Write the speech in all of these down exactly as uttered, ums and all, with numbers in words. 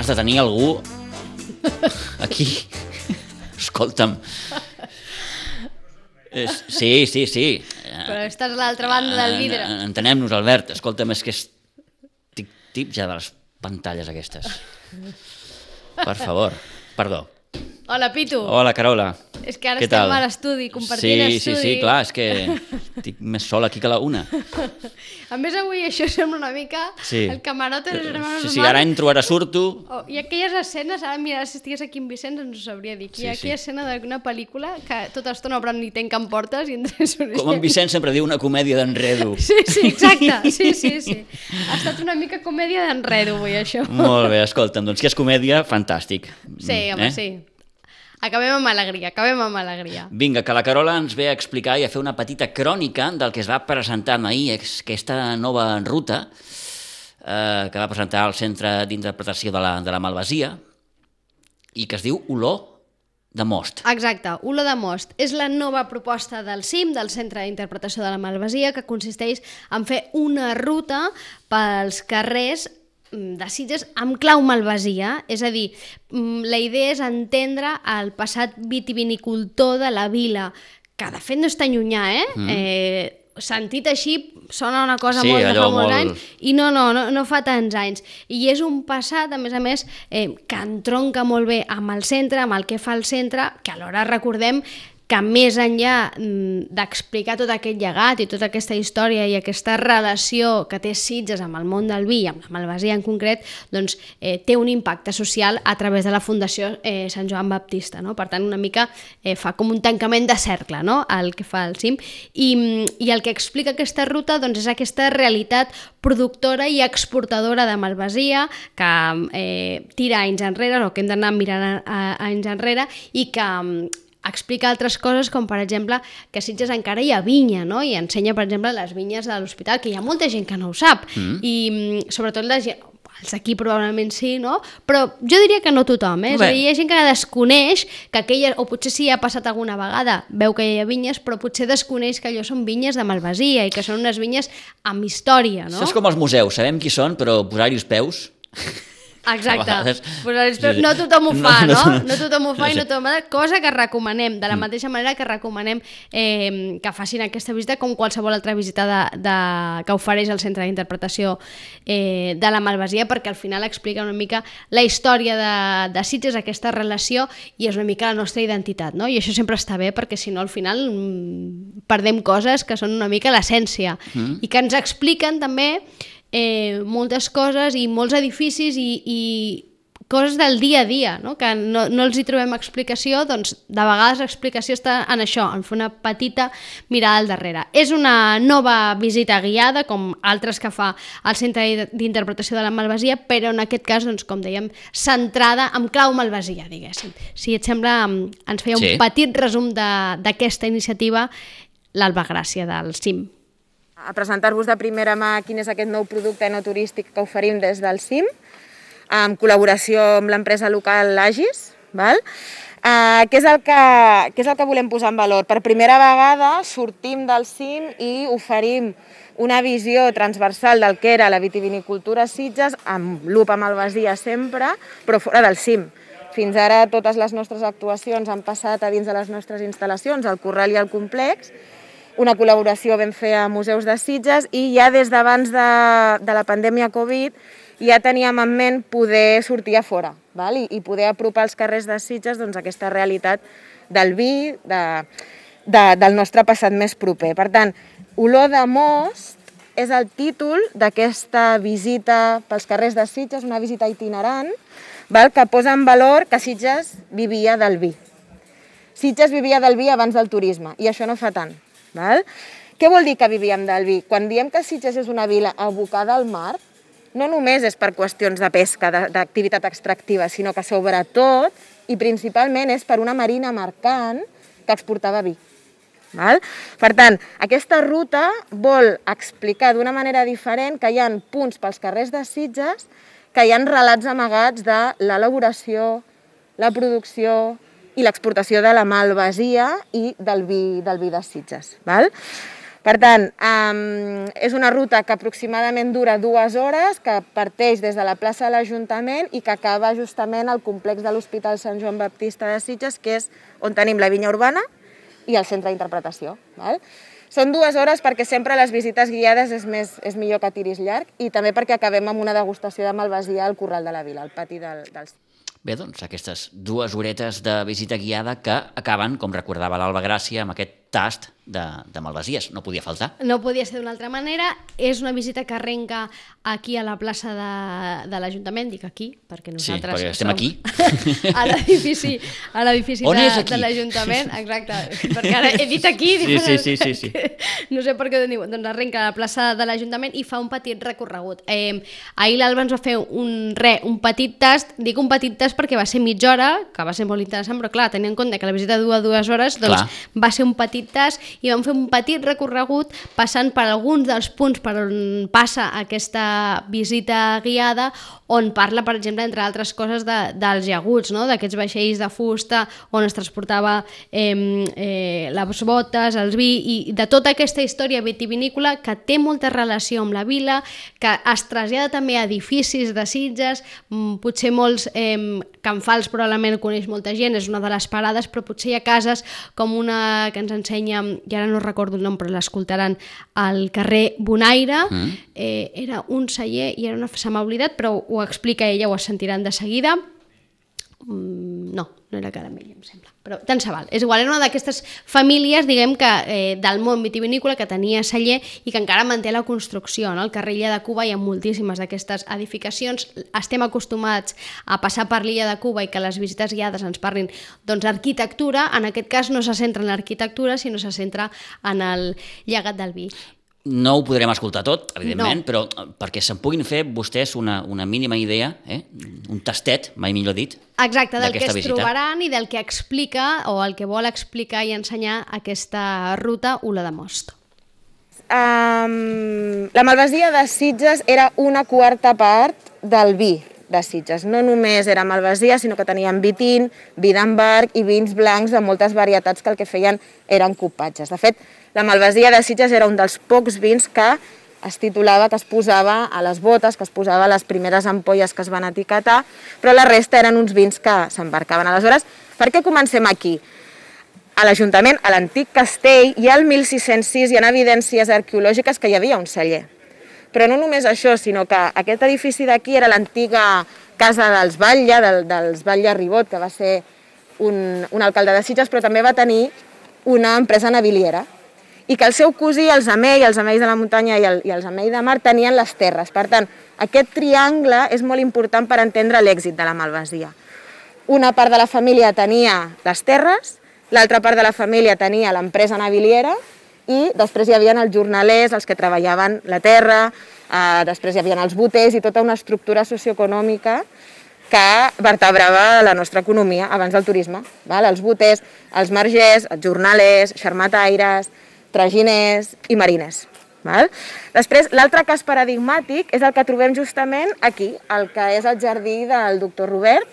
has de tenir algú aquí. Escolta'm. Sí, sí, sí. Però estàs a l'altra banda del vidre. Entenem-nos, Albert. Escolta'm, és que estic tip ja de les pantalles aquestes. Per favor, perdó. Hola, Pitu. Hola, Carola. És que ara estem a l'estudi, compartint sí, estudi. Sí, sí, clar, és que estic més sola aquí que la una. A més, avui això sembla una mica sí. el camarote de los hermanos Sí, sí, ara entro, ara surto. Oh, I aquelles escenes, ara mira, si estigués aquí en Vicenç ens ho sabria dir. Hi ha sí, aquella sí. escena d'una pel·lícula que tota l'estona obren ni tanquen portes i entre com en Vicenç sempre diu una comèdia d'enredo. Sí, sí, exacte, sí, sí, sí. Ha estat una mica comèdia d'enredo avui, això. Molt bé, escolta'm, doncs que és comèdia, fantàstic. Sí, home, eh? sí. Acabem amb alegria, acabem amb alegria. Vinga, que la Carola ens ve a explicar i a fer una petita crònica del que es va presentar ahir, aquesta nova ruta eh, que va presentar el Centre d'Interpretació de la, de la Malvasia i que es diu Olor de Most. Exacte, Olor de Most. És la nova proposta del C I M, del Centre d'Interpretació de la Malvasia, que consisteix en fer una ruta pels carrers de Sitges amb clau malvasia, és a dir, la idea és entendre el passat vitivinicultor de la vila, que de fet no és tan llunyà, eh? Mm. eh sentit així sona una cosa sí, molt de fa molts molt... anys i no, no, no, no fa tants anys i és un passat, a més a més eh, que entronca molt bé amb el centre, amb el que fa el centre, que alhora recordem que més enllà d'explicar tot aquest llegat i tota aquesta història i aquesta relació que té Sitges amb el món del vi, amb la Malvasia en concret, doncs eh, té un impacte social a través de la Fundació eh, Sant Joan Baptista, no? Per tant, una mica eh, fa com un tancament de cercle, no?, el que fa el C I M. I, i el que explica aquesta ruta doncs, és aquesta realitat productora i exportadora de Malvasia que eh, tira anys enrere, o que hem d'anar mirant a, a, a anys enrere, i que explica altres coses, com per exemple que a Sitges encara hi ha vinya, no? I ensenya, per exemple, les vinyes de l'hospital, que hi ha molta gent que no ho sap, mm. i sobretot la gent, els aquí probablement sí, no? Però jo diria que no tothom, eh? És a dir, hi ha gent que desconeix que aquella, o potser sí ha passat alguna vegada, veu que hi ha vinyes, però potser desconeix que allò són vinyes de Malvasia i que són unes vinyes amb història, no? Això és com els museus, sabem qui són, però posar-hi els peus... Exacte, no tothom ho fa, no? No tothom ho fa i no tothom ho fa, cosa que recomanem, de la mateixa manera que recomanem eh, que facin aquesta visita com qualsevol altra visita de, de, que ofereix el Centre d'Interpretació eh, de la Malvasia, perquè al final explica una mica la història de, de Sitges, aquesta relació, i és una mica la nostra identitat, no? I això sempre està bé, perquè si no al final mm, perdem coses que són una mica l'essència, mm. i que ens expliquen també Eh, moltes coses i molts edificis i, i coses del dia a dia, no? Que no, no els hi trobem explicació, doncs de vegades l'explicació està en això, en fer una petita mirada al darrere. És una nova visita guiada, com altres que fa el Centre d'Interpretació de la Malvasia, però en aquest cas, doncs, com dèiem, centrada en clau malvasia, diguéssim. Si et sembla, ens feia un sí. petit resum d'aquesta iniciativa l'Alba Gràcia del C I M. A presentar-vos de primera mà quin és aquest nou producte no turístic que oferim des del C I M, en col·laboració amb l'empresa local Agis, val? Uh, què, és el que, què és el que volem posar en valor? Per primera vegada sortim del C I M i oferim una visió transversal del que era la vitivinicultura a Sitges, amb lupa malvasia sempre, però fora del C I M. Fins ara totes les nostres actuacions han passat a dins de les nostres instal·lacions, al Corral i al Complex. Una col·laboració vam fer a Museus de Sitges i ja des d'abans de, de la pandèmia Covid ja teníem en ment poder sortir a fora, val? I, i poder apropar als carrers de Sitges doncs, aquesta realitat del vi, de, de, del nostre passat més proper. Per tant, Olor de Most és el títol d'aquesta visita pels carrers de Sitges, una visita itinerant, val? Que posa en valor que Sitges vivia del vi. Sitges vivia del vi abans del turisme, i això no fa tant. Val? Què vol dir que vivíem del vi? Quan diem que Sitges és una vila abocada al mar, no només és per qüestions de pesca, d'activitat extractiva, sinó que sobretot i principalment és per una marina mercant que exportava vi. Val? Per tant, aquesta ruta vol explicar d'una manera diferent que hi ha punts pels carrers de Sitges, que hi ha relats amagats de l'elaboració, la producció i l'exportació de la malvasia i del vi, del vi de Sitges. Val? Per tant, um, és una ruta que aproximadament dura dues hores, que parteix des de la plaça de l'Ajuntament i que acaba justament al complex de l'Hospital Sant Joan Baptista de Sitges, que és on tenim la vinya urbana i el centre d'interpretació. Val? Són dues hores perquè sempre les visites guiades és, més, és millor que tiris llarg i també perquè acabem amb una degustació de malvasia al Corral de la Vila, al pati del, dels... Bé, doncs aquestes dues horetes de visita guiada que acaben, com recordava l'Alba Gràcia, amb aquest tast de, de malvasies. No podia faltar. No podia ser d'una altra manera. És una visita que arrenca aquí a la plaça de, de l'Ajuntament, dic aquí, perquè nosaltres sí, perquè estem aquí. a l'edifici a l'edifici de, de l'Ajuntament. Exacte, perquè ara he dit aquí. Sí, sí, sí, sí, sí. No sé per què ho diu. Doncs arrenca a la plaça de l'Ajuntament i fa un petit recorregut. Eh, ahir l'Alba ens va fer un, re, un petit tast, dic un petit tast perquè va ser mitja hora, que va ser molt interessant, però clar, tenint en compte que la visita dura dues hores, doncs clar. Va ser un petit tast i vam fer un petit recorregut passant per alguns dels punts per on passa aquesta visita guiada, on parla, per exemple, entre altres coses, de, dels llaguts, no? D'aquests vaixells de fusta on es transportava eh, eh, les botes, els vi, i de tota aquesta història vitivinícola que té molta relació amb la vila, que es trasllada també a edificis de Sitges, potser molts eh, Can Fals probablement coneix molta gent, és una de les parades, però potser hi ha cases com una que ens ensenya, i ara no recordo el nom, però l'escoltaran, al carrer Bonaire, mm. eh, era un celler, i ara no se m'ha oblidat, però ho explica ella, ho sentiran de seguida. Mm, no, no era Caramell, em sembla, però tant se val. És igual, era una d'aquestes famílies, diguem que eh, del món vitivinícola que tenia celler i que encara manté la construcció, no? Al carrer Illa de Cuba hi ha moltíssimes d'aquestes edificacions. Estem acostumats a passar per l'Illa de Cuba i que les visites guiades ens parlin doncs arquitectura. En aquest cas no se centra en l'arquitectura, sinó se centra en el llegat del vi. No ho podrem escoltar tot, evidentment, no. Però perquè se'n puguin fer vostès una, una mínima idea, eh? Un tastet, mai millor dit, exacte, del que es visita. Trobaran i del que explica o el que vol explicar i ensenyar aquesta ruta Ula de Most. Um, la malvasia de Sitges era una quarta part del vi de Sitges. No només era malvasia, sinó que tenien vi tint, vi d'embarg i vins blancs de moltes varietats que el que feien eren copatges. De fet, la malvasia de Sitges era un dels pocs vins que es titulava, que es posava a les botes, que es posava a les primeres ampolles que es van etiquetar, però la resta eren uns vins que s'embarcaven. Aleshores, per què comencem aquí? A l'Ajuntament, a l'antic castell, i al mil sis-cents sis hi ha evidències arqueològiques que hi havia un celler. Però no només això, sinó que aquest edifici d'aquí era l'antiga casa dels Batlle, del, dels Batlle Ribot, que va ser un, un alcalde de Sitges, però també va tenir una empresa naviliera, i que el seu cosí, els Amell, els Amells de la muntanya i, el, i els Amell de mar, tenien les terres. Per tant, aquest triangle és molt important per entendre l'èxit de la malvasia. Una part de la família tenia les terres, l'altra part de la família tenia l'empresa naviliera, i després hi havia els jornalers, els que treballaven la terra, eh, després hi havia els boters i tota una estructura socioeconòmica que vertebrava la nostra economia abans del turisme. Val? Els boters, els margers, els jornalers, xarmataires, traginers i mariners. Val? Després, l'altre cas paradigmàtic és el que trobem justament aquí, el que és el jardí del doctor Robert,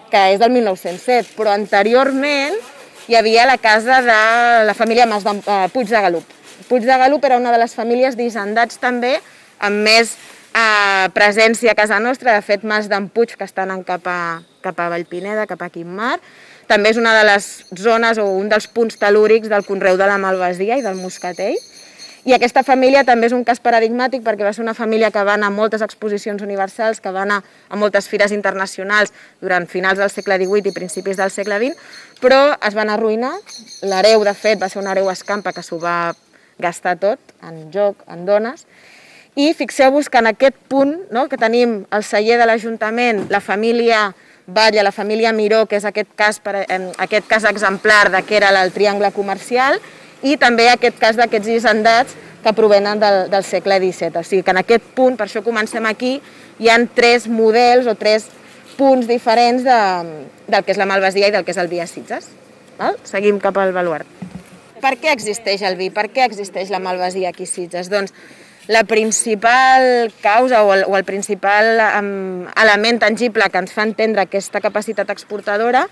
que és del mil nou-cents set, però anteriorment hi havia la casa de la família Mas de, uh, Puig de Galup. Puig de Galup era una de les famílies d'hisendats també, amb més uh, presència a casa nostra. De fet, Mas d'en Puig, que estan cap a, cap a Vallpineda, cap a Quimmar, també és una de les zones o un dels punts telúrics del conreu de la malvasia i del moscatell. I aquesta família també és un cas paradigmàtic perquè va ser una família que va anar a moltes exposicions universals, que va anar a moltes fires internacionals durant finals del segle divuit i principis del segle vint, però es van arruïnar. L'hereu, de fet, va ser un hereu escampa que s'ho va gastar tot, en joc, en dones. I fixeu-vos que en aquest punt, no, que tenim el celler de l'Ajuntament, la família Batlle, la família Miró, que és aquest cas, aquest cas exemplar de que era el triangle comercial, i també aquest cas d'aquests hisendats que provenen del, del segle disset. O sigui que en aquest punt, per això comencem aquí, hi ha tres models o tres punts diferents de, del que és la malvasia i del que és el vi a Sitges. Val? Seguim cap al baluard. Per què existeix el vi? Per què existeix la malvasia aquí a Sitges? Doncs la principal causa o el, o el principal um, element tangible que ens fa entendre aquesta capacitat exportadora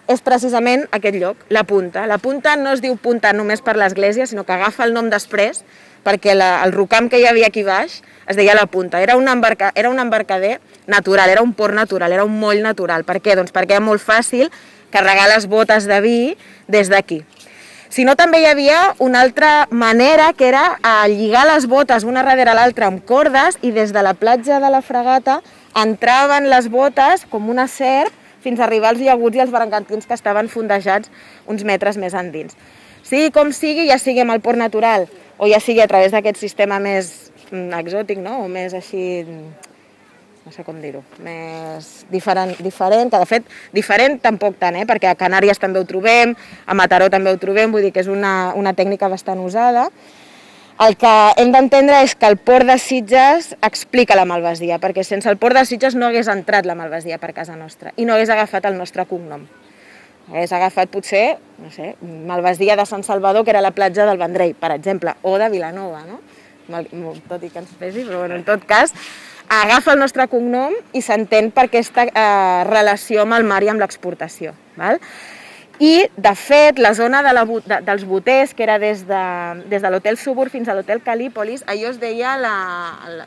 és precisament aquest lloc, la punta. La punta no es diu punta només per l'església, sinó que agafa el nom després, perquè la, el rocam que hi havia aquí baix es deia la punta. Era un, embarca, era un embarcader natural, era un port natural, era un moll natural. Per què? Doncs perquè era molt fàcil carregar les botes de vi des d'aquí. Si no, també hi havia una altra manera, que era lligar les botes una darrere l'altra amb cordes, i des de la platja de la Fragata entraven les botes com una serp fins a arribar als llaguts i als bergantins que estaven fondejats uns metres més endins. Sigui com sigui, ja sigui amb el port natural o ja sigui a través d'aquest sistema més exòtic, no? O més així, no sé com dir-ho, més diferent, diferent, que de fet diferent tampoc tant, eh? Perquè a Canàries també ho trobem, a Mataró també ho trobem, vull dir que és una, una tècnica bastant usada. El que hem d'entendre és que el port de Sitges explica la malvasia, perquè sense el port de Sitges no hagués entrat la malvasia per casa nostra i no hagués agafat el nostre cognom. Hagués agafat potser, no sé, malvasia de Sant Salvador, que era la platja del Vendrell, per exemple, o de Vilanova, no? Tot i que ens pesi, però bueno, en tot cas, agafa el nostre cognom i s'entén per aquesta eh, relació amb el mar i amb l'exportació. Val? I, de fet, la zona de la, de, dels boters, que era des de, des de l'Hotel Subur fins a l'Hotel Calípolis, allò es deia la,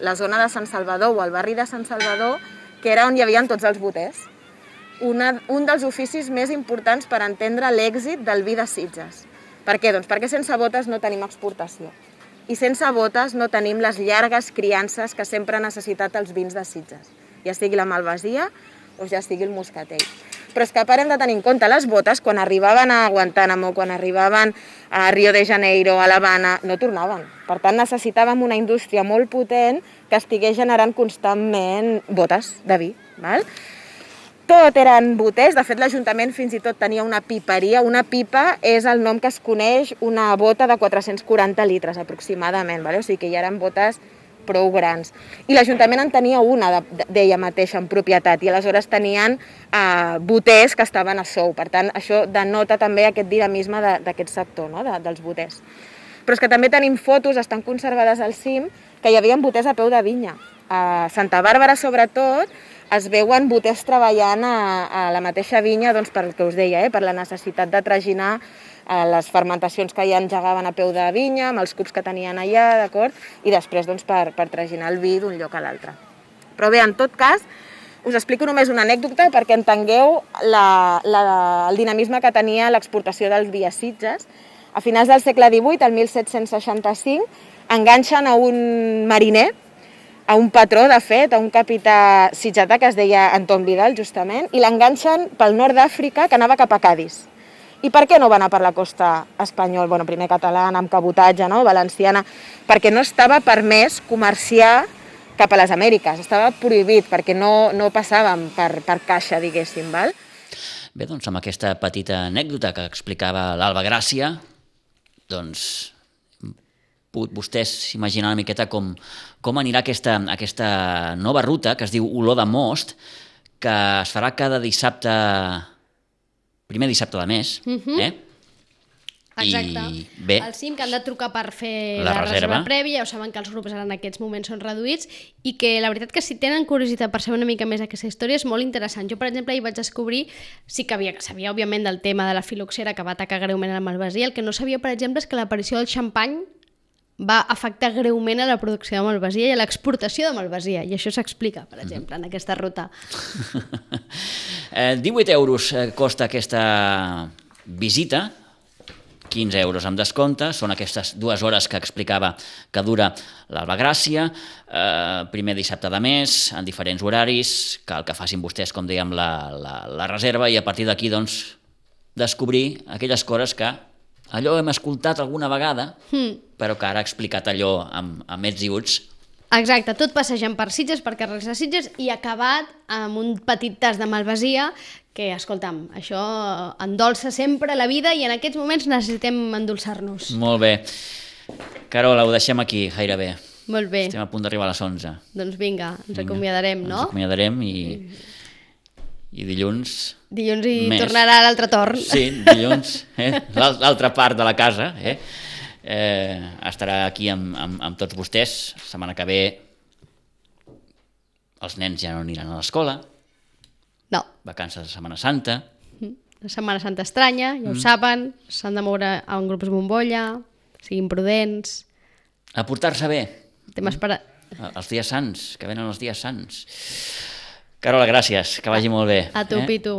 la zona de Sant Salvador, o el barri de Sant Salvador, que era on hi havia tots els boters. Una, un dels oficis més importants per entendre l'èxit del vi de Sitges. Per què? Doncs perquè sense botes no tenim exportació. I sense botes no tenim les llargues criances que sempre han necessitat els vins de Sitges, ja sigui la malvasia o ja sigui el moscatell. Però és que a part hem de tenir en compte les botes, quan arribaven a Guantánamo, quan arribaven a Rio de Janeiro, a l'Havana, no tornaven. Per tant, necessitàvem una indústria molt potent que estigués generant constantment botes de vi. Val? Tot eren boters, de fet l'Ajuntament fins i tot tenia una piperia. Una pipa és el nom que es coneix una bota de quatre-cents quaranta litres aproximadament, vale? O sigui que ja eren botes prou grans. I l'Ajuntament en tenia una d'ella mateixa en propietat i aleshores tenien eh, boters que estaven a sou. Per tant, això denota també aquest dinamisme d'aquest sector, no? de, dels boters. Però és que també tenim fotos, estan conservades al cim, que hi havia boters a peu de vinya. A Santa Bàrbara, sobretot, es veuen boters treballant a, a la mateixa vinya, doncs, per el que us deia, eh? Per la necessitat de traginar eh, les fermentacions que ja engegaven a peu de vinya, amb els cups que tenien allà, d'acord? I després doncs, per, per traginar el vi d'un lloc a l'altre. Però bé, en tot cas, us explico només una anècdota perquè entengueu la, la, el dinamisme que tenia l'exportació del vi a Sitges. A finals del segle divuit, el mil set-cents seixanta-cinc, enganxen a un mariner, a un patró, de fet, a un capità sitgetà que es deia Anton Vidal, justament, i l'enganxen pel nord d'Àfrica, que anava cap a Cadis. I per què no va anar per la costa espanyola, bueno, primer catalana, amb cabotatge, no? Valenciana? Perquè no estava permès comerciar cap a les Amèriques, estava prohibit, perquè no, no passàvem per, per caixa, diguéssim, val? Bé, doncs amb aquesta petita anècdota que explicava l'Alba Gràcia, doncs vostès s'imaginen una miqueta com, com anirà aquesta, aquesta nova ruta que es diu Olor de Most, que es farà cada dissabte, primer dissabte de mes, uh-huh. eh? Exacte. I bé, el cim, que han de trucar per fer la la, la reserva. reserva prèvia, ja ho saben que els grups en aquests moments són reduïts i que la veritat que si tenen curiositat per saber una mica més aquesta història és molt interessant. Jo, per exemple, hi vaig descobrir, sí que havia, sabia òbviament del tema de la filoxera que va atacar greument a la malvasia, el que no sabia, per exemple, és que l'aparició del xampany va afectar greument a la producció de malvasia i a l'exportació de malvasia, i això s'explica, per exemple, en aquesta ruta. eh, divuit euros costa aquesta visita, quinze euros amb descompte, són aquestes dues hores que explicava que dura l'Alba Gràcia, eh, primer dissabte de mes, en diferents horaris, cal que facin vostès, com dèiem, la, la, la reserva, i a partir d'aquí, doncs, descobrir aquelles coses que allò hem escoltat alguna vegada, mm. però que ara ha explicat allò amb, amb ets i uts. Exacte, tot passejant per Sitges, per carrers de Sitges, i acabat amb un petit tas de malvasia que, escolta'm, això endolça sempre la vida i en aquests moments necessitem endolçar-nos. Molt bé. Carola, ho deixem aquí, gairebé. Molt bé. Estem a punt d'arribar a les onze. Doncs vinga, ens acomiadarem, no? Ens acomiadarem i, i dilluns... Dilluns hi més. Tornarà l'altre torn. Sí, dilluns, eh? L'altra part de la casa, eh? Eh, estarà aquí amb, amb, amb tots vostès. La setmana que ve els nens ja no aniran a l'escola. No. Vacances de Setmana Santa. Setmana Santa estranya, ja ho mm. saben, s'han de moure en grups bombolla, siguin prudents. A portar-se bé. Temes per... Els dies sants, que venen els dies sants. Carola, gràcies, que vagi molt bé. A tu, eh? Pitu.